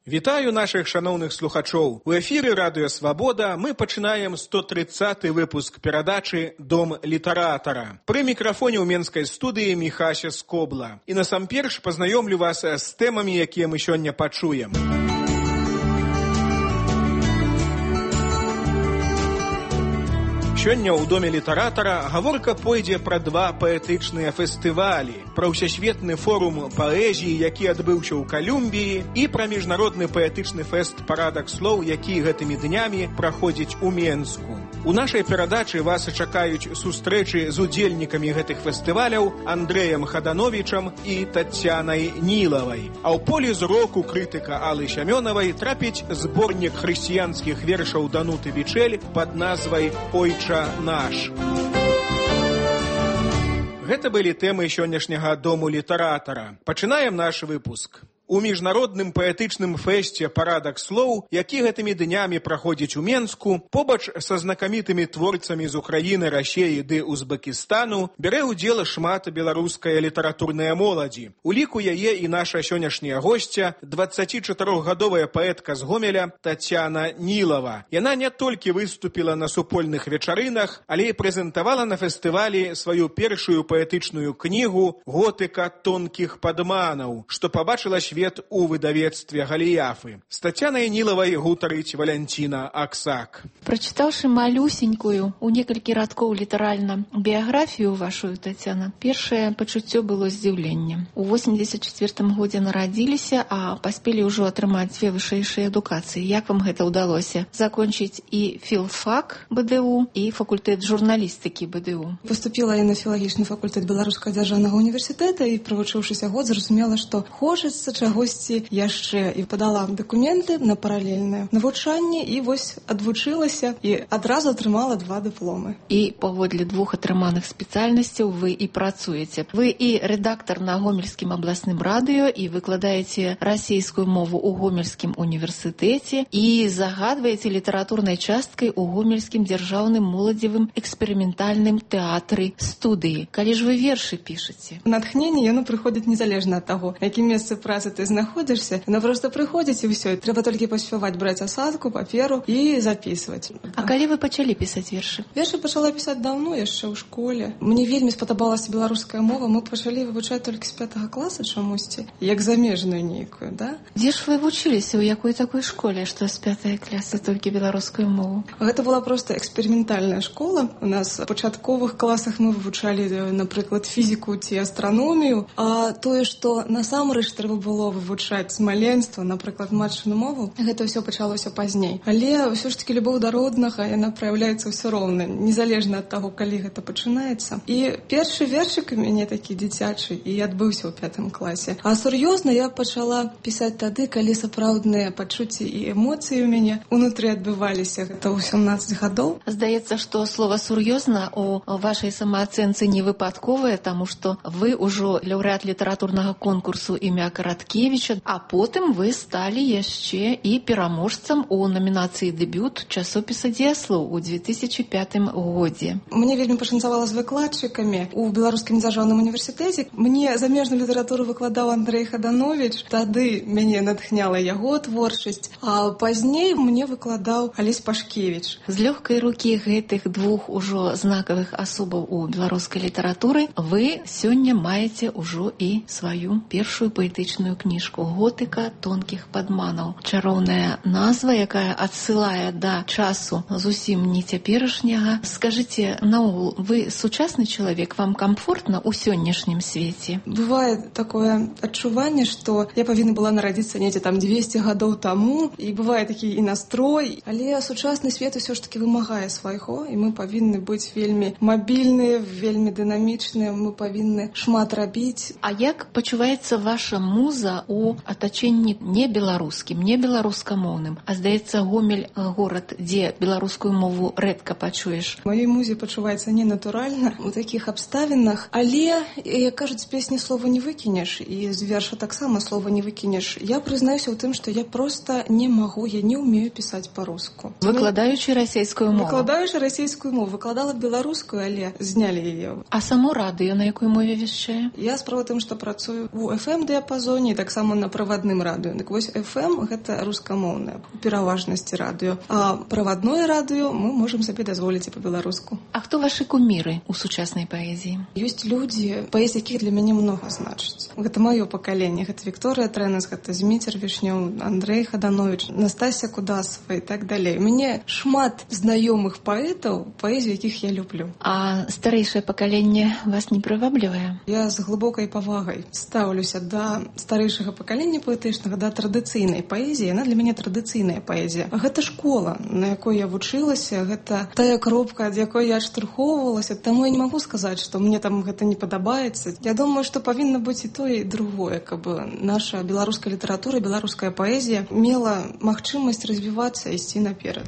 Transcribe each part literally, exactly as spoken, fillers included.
Вітаю наших шановных слухачоў. У эфіры Радыё Свабода мы пачынаем сто тридцаты выпуск перадачы «Дом літаратара». Пры мікрафоне ў менскай студыі Міхася Скобла. І насамперш пазнаёмлю вас з тэмамі, якія мы сёння пачуем. Сёння ў Доме літаратара гаворка пойдзе пра два паэтычныя фестывалі, пра ўсесветны форум паэзіі, які адбыўся ў Калумбіі, і пра міжнародны паэтычны фэст «Парадак слоў», які гэтымі днямі праходзіць у Менску. У нашай перадачы вас чакаюць сустрэчы з удзельнікамі гэтых фестываляў Андрэем Хадановічам і Тацянай Нілавай. А ў поле зроку крытыка Аллы Сямёнавай трапіць зборнік хрысціянскіх вершаў Дануты Вічэль пад назвай «Ойча наш». Гэта былі тэмы сённяшняга Дому літаратара. Пачынаем наш выпуск. У міжнародным паэтычным фэсце «Парадак слоў», які гэтымі днямі праходзіць у Менску, побач са знакамітымі творцамі з Украіны, Расеі ды Узбекістану бярэ ўдзел шмат беларуская літаратурная моладзі. У ліку яе і наша сённяшняя госця, дваццацічатырохгадовая паэтка з Гомеля Тацяна Нілава. Яна не толькі выступіла на супольных вечарынах, але і прэзентавала на фестывалі сваю першую паэтычную кнігу «Готыка тонкіх падманаў», што пабачыла свет у выдавецтве Галіяфы. З Тацянай Нілавай гутарыць Валянціна Аксак. Прачытаўшы малюсенькую, у некалькі радкоў літаральна, біяграфію вашу, Тацяна, першае пачуццё было здзіўленне. У восемьдесят четвёртым годзе нарадзіліся, а паспелі ўжо атрымаць дзве вышэйшыя адукацыі. Як вам гэта ўдалося? Закончыць і філфак БДУ, і факультэт журналістыкі БДУ. Поступила я на філагічны факультэт Беларускага дзяржаўнага універсітэта і, правучыўшыся год, зразумела, што хочацца чагосьці яшчэ, і падала дакументы на паралельнае навучанне, і вось адвучылася і адразу атрымала два дыпломы. І паводле двух атрыманых спецыяльнасцяў вы і працуеце. Вы і рэдактар на Гомельскім абласным радыё, і выкладаеце расійскую мову ў Гомельскім універсітэце, і загадваеце літаратурнай часткай у Гомельскім дзяржаўным моладзевым эксперыментальным тэатры студыі. Калі ж вы вершы пішаце? Натхненне, яно прыходзіць незалежна ад таго, якім месцы працы ты знаходзішся, яно проста прыходзіць і ўсё. Трэба толькі паспяваць браць асадку, паперу і запісваць. А калі вы пачалі пісаць вершы? Вершы пачала пісаць даўно, яшчэ ў школе. Мне вельмі спадабалася беларуская мова. Мы пачалі вывучаць толькі з пятага класа чамусьці, як замежную нейкую, да? Дзе ж вы вучыліся, у якой такой школе, што з пятага класа толькі беларускую мову? Гэта была проста эксперыментальная школа. У нас у пачатковых класах мы вывучалі, напрыклад, фізіку ці астраномію, а тое, што насамрэч трэба было вывучаць маленства, напрыклад, матчыну мову, гэта ўсё пачалося пазней. Але ўсё ж такі любоў да роднага, яна праяўляецца ўсё роўна, незалежна ад таго, калі гэта пачынаецца. І першы вершык у мяне такі дзіцячы і адбыўся ў пятым класе. А сур'ёзна я пачала пісаць тады, калі сапраўдныя пачуцці і эмоцыі ў мяне унутры адбываліся. Гэта ў сямнаццаць гадоў. Здаецца, што слова «сур'ёзна» у вашай самаацэнцы не выпадковае, таму што вы ўжо лаўрэат літаратурнага конкурсу імя Караткевіча, а потым вы сталі яшчэ і пераможцам у намінацыі «Дэбют» часопіса «Дзеяслоў» у две тысячи пятым годзе. Мне вельмі пашанцавала з выкладчыкамі у Беларускім дзяржаўным універсітэце. Мне замежную літаратуру выкладаў Андрэй Хадановіч. Тады мяне натхняла яго творчасць, а пазней мне выкладаў Алесь Пашкевіч. З лёгкай рукі гэтых двух ужо знакавых асобаў у беларускай літаратуры вы сёння маеце ўжо і сваю першую паэтычную кніжку «Готыка тонкіх падманаў». Чароўная назва, якая адсылае да часу зусім не цяперашняга. Скажыце, наогул, вы сучасны чалавек, вам камфортна ў сённяшнім свеце? Бывае такое адчуванне, што я павінна была нарадзіцца недзе там двесце гадоў таму, і бывае такі і настрой, але сучасны свет усё ж такі вымагае свайго, і мы павінны быць вельмі мабільныя, вельмі дынамічныя, мы павінны шмат рабіць. А як пачуваецца ваша муза у атачэнні не беларускім, не беларускамоўным? А здаецца, Гомель горад, дзе беларускую мову рэдка пачуеш. Маёй музе пачуваецца ненатуральна у такіх абставінах, але, як кажуць, з песні слова не выкінеш, і з верша таксама слова не выкінеш. Я прызнаюся ў тым, што я проста не магу, я не ўмею пісаць па-руску. Выкладаючы расійскую мову? Выкладаючы расійскую мову. Выкладала беларускую, але знялі яе. А само радыё на якой мове вяшчае? Я справа тым, што працую у эф эм-дыяпазоне, таксама на правадным радыё. Так вось эф эм гэта рускамоўнае у пераважнасці радыё. А правадное радыё мы можам сабе дазволіць і па-беларуску. А хто вашы куміры ў сучаснай паэзіі? Ёсць людзі, паэзія якіх для мяне многа значыць. Гэта маё пакаленне. Гэта Вікторыя Трэнас, гэта Зміцер Вішнёў, Андрэй Хаданович, Настасья Кудасова і так далей. У мяне шмат знаёмых паэтаў, паэзію якіх я люблю. А старэйшае пакаленне вас не прываблівае? Я з глыбокай павагай стаўлюся да старэйшага пакалення паэтычнага, да традыцыйнай паэзіі. Яна для мяне традыцыйная паэзія. Гэта школа, на якой я вучылася, гэта тая кропка, ад якой я адштурхоўвалася. Таму я не магу сказаць, што мне там гэта не падабаецца. Я думаю, што павінна быць і тое, і другое, каб наша беларуская літаратура, беларуская паэзія мела магчымасць развівацца і ісці наперад.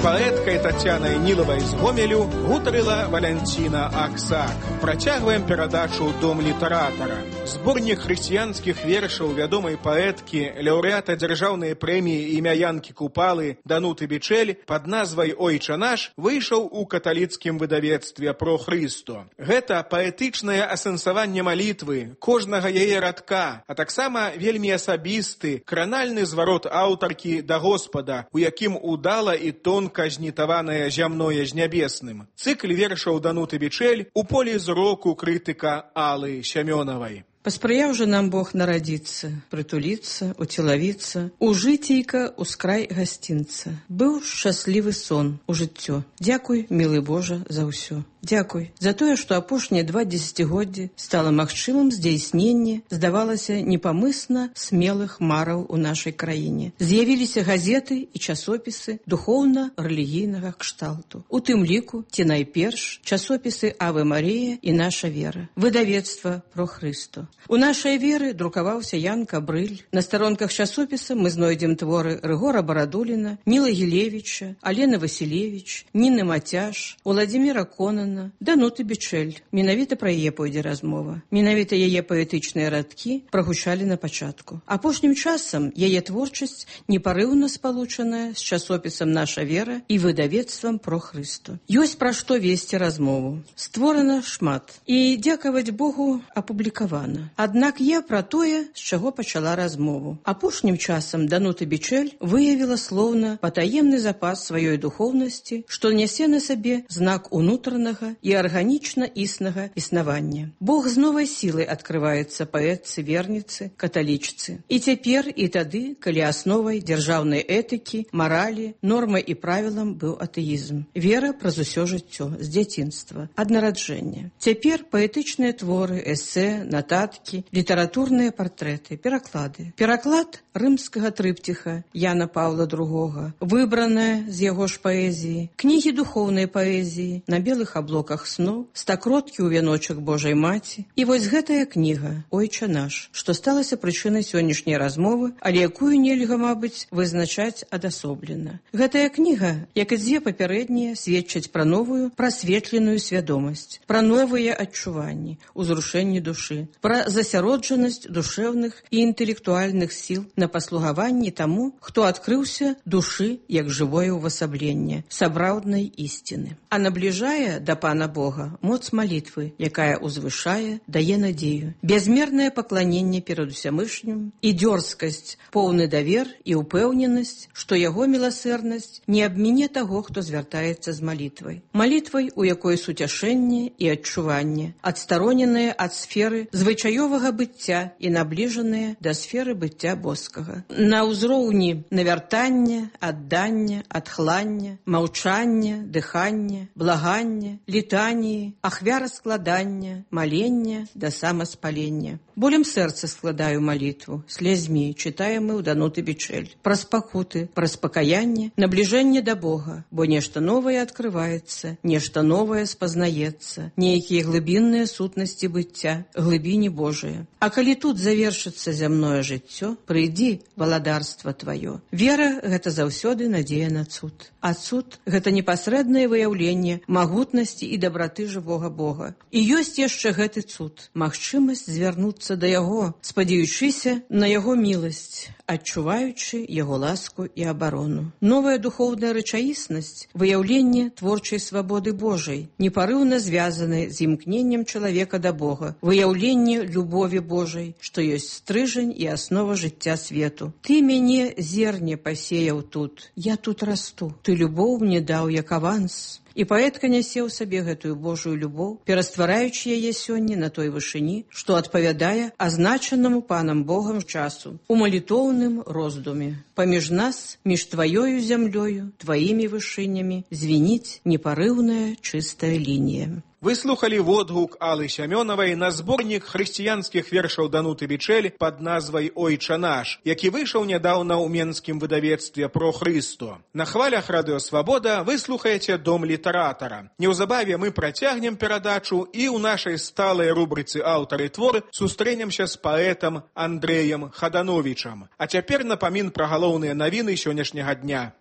Паэткай Тацянай Нілавай з Гомелю гутарыла Валянціна Аксак. Працягваем перадачу «Дом літаратара». Зборнік хрысціянскіх вершаў вядомай паэткі, лаўрэата дзяржаўнай прэміі імя Янкі Купалы Дануты Бичель пад назвай «Ойча наш» выйшаў у каталіцкім выдавецтве «Про Хрысто». Гэта паэтычнае асэнсаванне малітвы, кожнага яе радка, а таксама вельмі асабісты, кранальны зварот аўтаркі да Господа, у якім удала і тонка знітаванае зямное з нябесным. Цыкл вершаў Дануты Бичель у полі зроку крытыка Аллы Сямёнавай. Паспрыяў жа нам Бог нарадзіцца, прытуліцца, уцелавіцца, у жыцейка ускрай гасцінца. Быў шчаслівы сон у жыццё. Дзякуй, мілы Божа, за ўсё. Дзякуй за тое, што апошнія два дзесяцігоддзі стала магчымым здзяйсненне, здавалася, непамысна смелых мараў у нашай краіне. З'явіліся газеты і часопісы духоўна-рэлігійнага кшталту. У тым ліку, ці найперш, часопісы «Аве Марія» і «Наша вера», выдавецтва «Про Хрысто». У нашай веры друкаваўся Ян Кабрыль. На старонках часопіса мы знойдзем творы Рыгора Барадуліна, Ніла Гілевіча, Алены Васілевіч, Ніны Мацяш, Уладзіміра Конана, Дануты Бичель. Менавіта пра яе пойдзе размова. Менавіта яе паэтычныя радкі прагучалі на пачатку. Апошнім часам яе творчасць непарыўна спалучаная з часопісам «Наша вера» і выдавецтвам «Про Хрысто». Ёсць пра што весці размову. Створана шмат. І, дзякаваць Богу, апублікавана. Аднак я пра тое, з чаго пачала размову. Апошнім часам Данута Бичель выявіла слоўна патаемны запас сваёй духоўнасці, што нясе на сабе знак унутранага і арганічна існага існавання. Бог з новай сілай адкрываецца паэтцы, верніцы, каталічцы. І цяпер, і тады, калі асновай дзяржаўнай этыкі, маралі, нормай і правілам быў атэізм. Вера праз усё жыццё, з дзяцінства, ад нараджэння. Цяпер паэтычныя творы, эсэ, нататкі, літаратурныя партрэты, пераклады. Пераклад рымскага трыпціха Яна Паўла другога, выбраная з яго ж паэзіі, кнігі духоўнай паэзіі, на белых аблоках сноў, стакроткі ў вяночак Божай Маці. І вось гэтая кніга «Ойча наш», што сталася прычынай сённяшняй размовы, але якую нельга, мабыць, вызначаць адасоблена. Гэтая кніга, як і дзве папярэднія, сведчаць пра новую, прасветленую свядомасць, пра новыя адчуванні, узрушэнні душы, пра засяроджанасць душэўных і інтэлектуальных сіл на паслугаванні таму, хто адкрыўся душы як жывое ўвасабленне сапраўднай ісціны. А набліжае да Пана Бога моц малітвы, якая узвышае, дае надзею, бязмернае пакланенне перад усямышнім і дзёрзкасць, поўны давер і ўпэўненасць, што яго міласэрнасць не абміне таго, хто звяртаецца з малітвай. Малітвай, у якой суцяшэнне і адчуванне, адстароненае ад сферы звычаёвага быцця і набліжаныя да сферы быцця боскага. На ўзроўні навяртання, аддання, адхлання, маўчання, дыхання, благання, літаніі, ахвяраскладання, малення да самаспалення. Болем сэрца складаю малітву, слязьмі чытаем мы ў Дануты Бичель. Праз пакуты, праз пакаянне, набліжэнне да Бога, бо нешта новае адкрываецца, нешта новае спазнаецца, нейкія глыбінныя сутнасці быцця, глыбіні Божыя. А калі тут завершыцца зямное жыццё, прыйдзі, валадарства тваё. Вера — гэта заўсёды надзея на цуд. А цуд — гэта непасрэднае выяўленне магутнасці і дабраты жывога Бога. І ёсць яшчэ гэты цуд, магчымасць звярнуцца да яго, спадзяючыся на яго міласць. адчуваючы яго ласку і абарону. Новая духоўная рэчаіснасць – выяўленне творчай свабоды Божай, непарыўна звязанай з імкненнем чалавека да Бога, выяўленне любові Божай, што ёсць стрыжань і аснова жыцця свету. Ты мяне зерне пасеяў тут, я тут расту, ты любоў мне даў як аванс. І паэтка нясе ў сабе гэтую Божую любоў, пераствараючы яе сёння на той вышыні, што адпавядае азначанаму панам Богам часу, у малітоўным роздуме. Паміж нас, між тваёю зямлёю, тваімі вышынямі, звініць непарыўная чыстая лінія. Вы слухали водгук Аллы Сямёнавай на зборнік хрысціянскіх вершаў Дануты Вічэль пад назвай «Ойча наш», які выйшаў нядаўна ў менскім выдавецтве «Про Хрысто». На хвалях Радыё Свабода вы слухаеце «Дом літаратара». Неўзабаве мы працягнем перадачу і ў нашай сталай рубрыцы «Аўтары творы» сустрэнемся з паэтам Андрэем Хадановічам. А цяпер напамін пра галоўныя навіны сённяшняга дня.